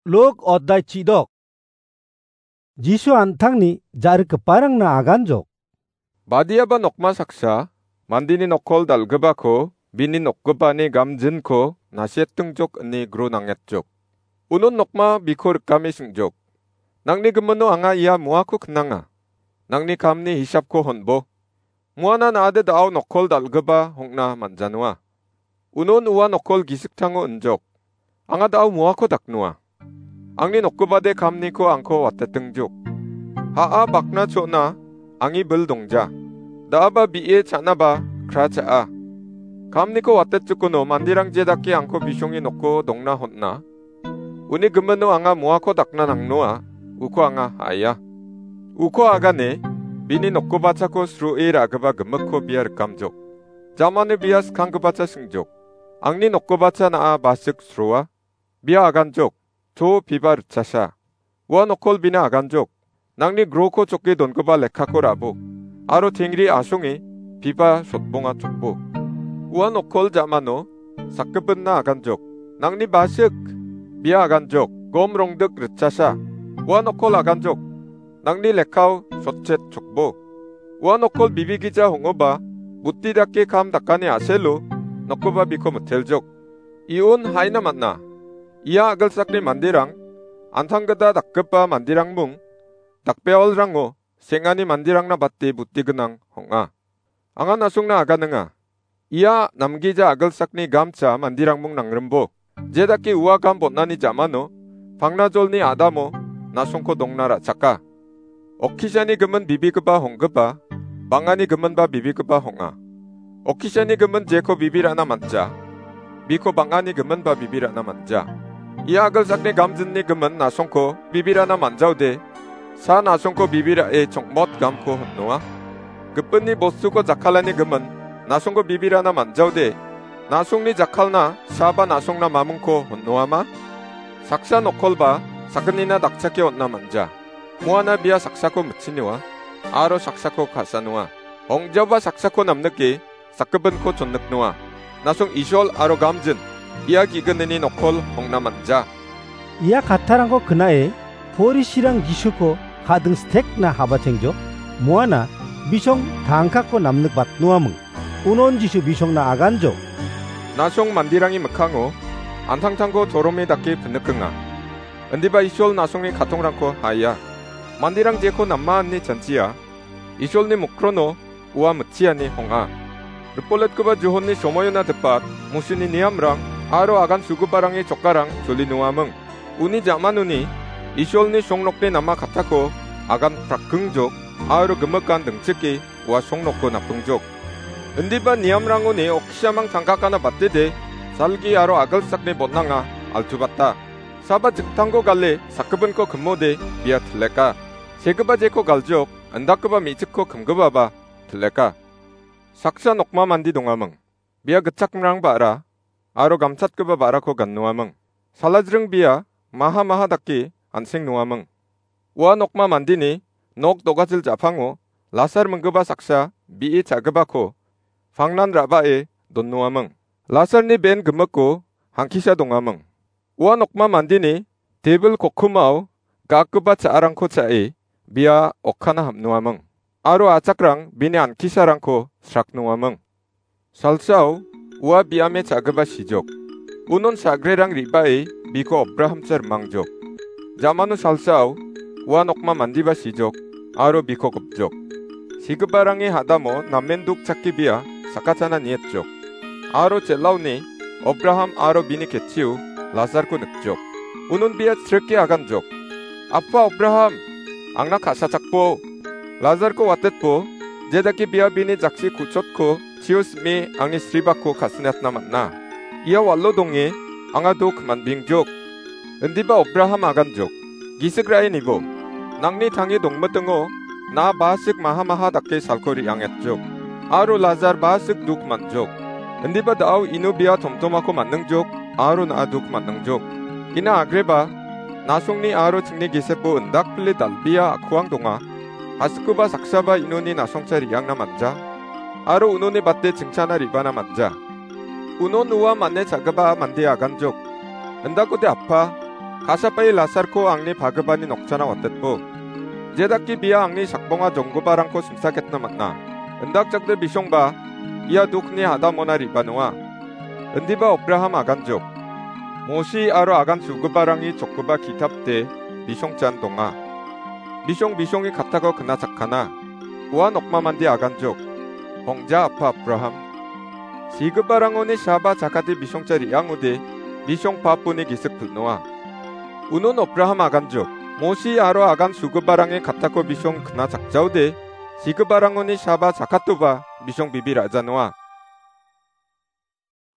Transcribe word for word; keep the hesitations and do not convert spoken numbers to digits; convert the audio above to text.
Luk oddai chidok. Jisu an·tangni ja·rikgiparangna aganjok. Badiaba nokma saksa, mandeni nokkol dal·gipako, bini nokgipani gamjinko nasetingjok ine gro nangetjok. Unon nokma biko rikame sing·jok. Nangni gimino anga ia muako knanga. Nangni kamni hisapko honbo. Muana na·ade da·o nokkol dal·gipa hongna man·janoa. Unon ua nokkol gisik tango injok. Anga da·o muako daknoa. Angni nokgipade kamniko angko watetingjok. Ha·a bakna cho·na angi bil dongja. Da·aba bi·e cha·naba kra cha·a. Kamniko watetjikono manderang je dake angko bisonge noko dongna hon·a. Uni gimino anga muako dakna nangnoa, uko anga ha·aia. Uko agane, bini nokgipachako sroe ra·gipa gimikko bia rikamjok. Jamani bia skanggipacha singjok. Angni nokgipacha na·a basik sroa. Bia aganjok. To piba ritchasa. Ua nokkol bina aganjok. Nangni groko choke dongipa lekkako ra·bo. Aro tengri asonge piba sotbonga chokbo. Ua nokkol ja·mano sakgipinna aganjok. Nangni basik bia aganjok. Gom rongdik ritchasa. Ua nokkol aganjok. Nangni lekkao sotchet chokbo. Ua nokkol bibigija hong·oba, buti dake kam dakani a·selo, nokkoba biko miteljok. Iun haina man·a. Ia a·gilsakni manderang, an·tanggita dakgipa manderangmung, dakbeolrango seng·ani manderangna bate buti gnang hong·a. Anga na·songna aganinga. Ia namgija a·gilsakni gamcha manderangmung nangrimbo. Je dake ua gam bon·ani ja·mano, pangnajolni a·damo na·songko dongna ra·chaka. Okkisani gimin bibigipa honggipa, bang·ani giminba bibigipa hong·a. Okkisani gimin jeko bibi ra·na man·ja, biko bang·ani giminba bibi ra·na man·ja. Ia a·gilsakni gamjinni gimin na·songko bibi ra·na man·jaode, sa na·songko bibi ra·e chongmot gamko honnoa. Gipinni bostuko jakkalani gimin na·songko bibi ra·na man·jaode, na·songni jakkalna saba na·songna mamingko honnoama? Saksa nokkolba sakgnina dakchake on·na man·ja. Muana bia saksako mitchinoa, aro saksako ka·sanoa. Ong·jaoba saksako namnike sakgipinko chonniknoa. Na·song Isol aro gamjin, ia ge·gnini nokkol ong·na man·ja. Ia kattarangko knae Porisirang Jisuko ka·ding stekna habatengjok. Muana bisong tangkako namnikbatnoaming. Unon Jisu bisongna aganjok. Na·song manderangni mikkango an·tangtangko torome dake pinikenga. Indiba Isol na·songni katongrangko ha·ia. Manderang jeko nama ine chanchia, Isolni mokrono ua mitchiani hong·a. Ripoletgipa Johonni somoiona dipat, Mosini niamrang aro agan sugiparangni chokarang choli noaming. Uni ja·manoni Isolni songnokni nama kattako agan prakkingjok aro gimikan dingchike ua songnokko napingjok. Indiba niamrangoni okkisamang tangkakana batede, salgi aro a·gilsakni botnanga altubata. Saba jiktangko gale sakgipinko kimode bia tileka. Segipa jeko galjok, indakgipa me·chikko kimgipaba tileka. Saksa nokma mande dongaming. Bia gitchakmrang ba·ra aro gamchatgipa ba·rako gannoaming. Salajring bia maha maha dake an·seng noaming. Ua nokma mandeni nok dogajil ja·pango Lasar minggipa saksa bi·e cha·gipako pangnan ra·bae donnoaming. Lasarni ben gimiko hangkisa dongaming. Ua nokma mandeni tebil kokkomao gakgipa cha·arangko cha·e bia okkana ham·noaming. Aro achakrang bini ankisarangko sraknoaming. Salsao ua biame cha·gipa sijok. Unon sagrerang re·bae biko Abrahamcha rimangjok. Jamano salsao ua nokma mandeba sijok aro biko gipjok. Sigiparangni hadamo namen duk chakki bia sakachana niatjok. Aro chel·aoni Abraham aro bini ketchio Lazarko nikjok. Unon bia chrike aganjok. "Apa Abraham, angna ka·sachakbo. Lazarko watetbo, jedake bia bini jakchi ku·chotko chio sime angni sribako ka·sinatna man·a. Ia walo donge anga dok man·bingjok." Indiba Abraham aganjok. "Gisik ra·e nibo. Nangni tange dongmitingo na basik maha maha dake salko re·angetjok. Aro Lazar basik duk man·jok. Indiba da·o ino bia tomtomako man·ningjok, aro na·a duk man·ningjok. Ina agreba, na·songni aro chingni gisepo indakpile dal·bea a·kuang donga. Hasikoba saksaba inoni na·songcha re·angna man·ja. Aro unoni bate chingchana re·bana man·ja." Unon ua mane cha·gipa mande aganjok. "Indakode apa, Kasapae Lasarko angni pagipani nokchana watetbo. Jedake bia angni sakbonga jonggiparangko simsaketna man·a. Indakjakde bisongba ia dokni hadamona re·banoa. Indiba Abraham aganjok. Mosi aro agan sugiparangni chokgipa ki·tapde bisongchan donga. Bisong bisongni kattako knachakkana. Ua nokma mande aganjok. Ong·ja apa Abraham. Sigiparangoni saba chakate bisongcha re·angode bisong paponi gisik pil·noa. Unon Abraham aganjok. Mosi aro agan sugiparangni kattako bisong knachakjaode sigiparangoni saba chakatoba bisong bibi ra·janoa.